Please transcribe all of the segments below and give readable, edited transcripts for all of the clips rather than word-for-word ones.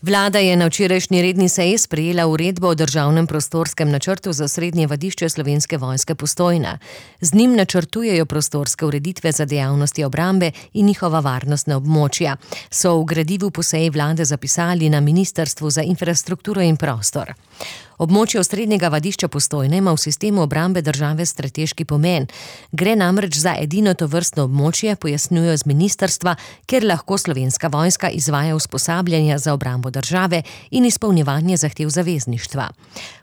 Vlada je na včerajšnji redni seji sprejela uredbo o državnem prostorskem načrtu za srednje vadišče Slovenske vojske Postojna. Z njim načrtujejo prostorske ureditve za dejavnosti obrambe in njihova varnostna območja, so v gradivu po seji vlade zapisali na Ministrstvu za infrastrukturo in prostor. Območje osrednjega vadišča Postojna ima v sistemu obrambe države strateški pomen. Gre namreč za edino tovrstno območje, pojasnjujejo z ministrstva, kjer lahko Slovenska vojska izvaja usposabljanja za obrambo države in izpolnjevanje zahtev zavezništva.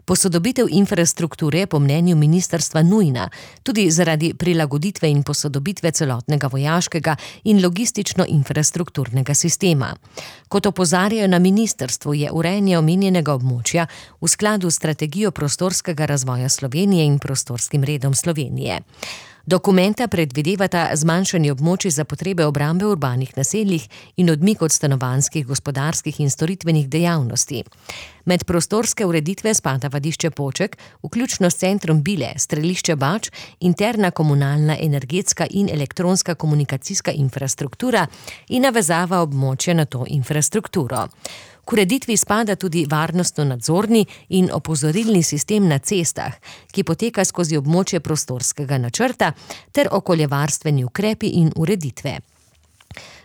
Posodobitev infrastrukture je po mnenju ministrstva nujna, tudi zaradi prilagoditve in posodobitve celotnega vojaškega in logistično-infrastrukturnega sistema. Kot opozarjajo na ministrstvu, je urejanje omenjenega območja v skladu s strategijo prostorskega razvoja Slovenije in prostorskim redom Slovenije. Dokumenta predvidevata zmanjšanje območij za potrebe obrambe v urbanih naseljih in odmik od stanovanjskih, gospodarskih in storitvenih dejavnosti. Med prostorske ureditve spada vadišče Poček, vključno s centrom Bile, strelišče Bač, interna komunalna, energetska in elektronska komunikacijska infrastruktura in navezava območja na to infrastrukturo. K ureditvi spada tudi varnostno-nadzorni in opozorilni sistem na cestah, ki poteka skozi območje prostorskega načrta, ter okoljevarstveni ukrepi in ureditve.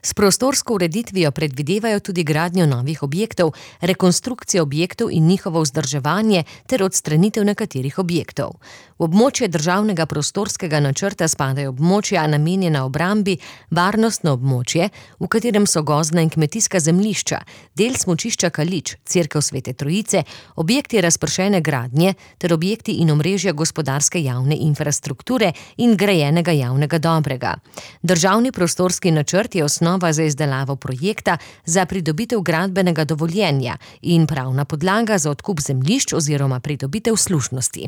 S prostorsko ureditvijo predvidevajo tudi gradnjo novih objektov, rekonstrukcijo objektov in njihovo vzdrževanje ter odstranitev nekaterih objektov. V območje državnega prostorskega načrta spadajo območja namenjena obrambi, varnostno območje, v katerem so gozdna in kmetijska zemljišča, del smučišča Kalič, cerkev Svete Trojice, objekti razpršene gradnje ter objekti in omrežja gospodarske javne infrastrukture in grajenega javnega dobrega. Državni prostorski načrt je osnova za izdelavo projekta za pridobitev gradbenega dovoljenja in pravna podlaga za odkup zemljišč oziroma pridobitev služnosti.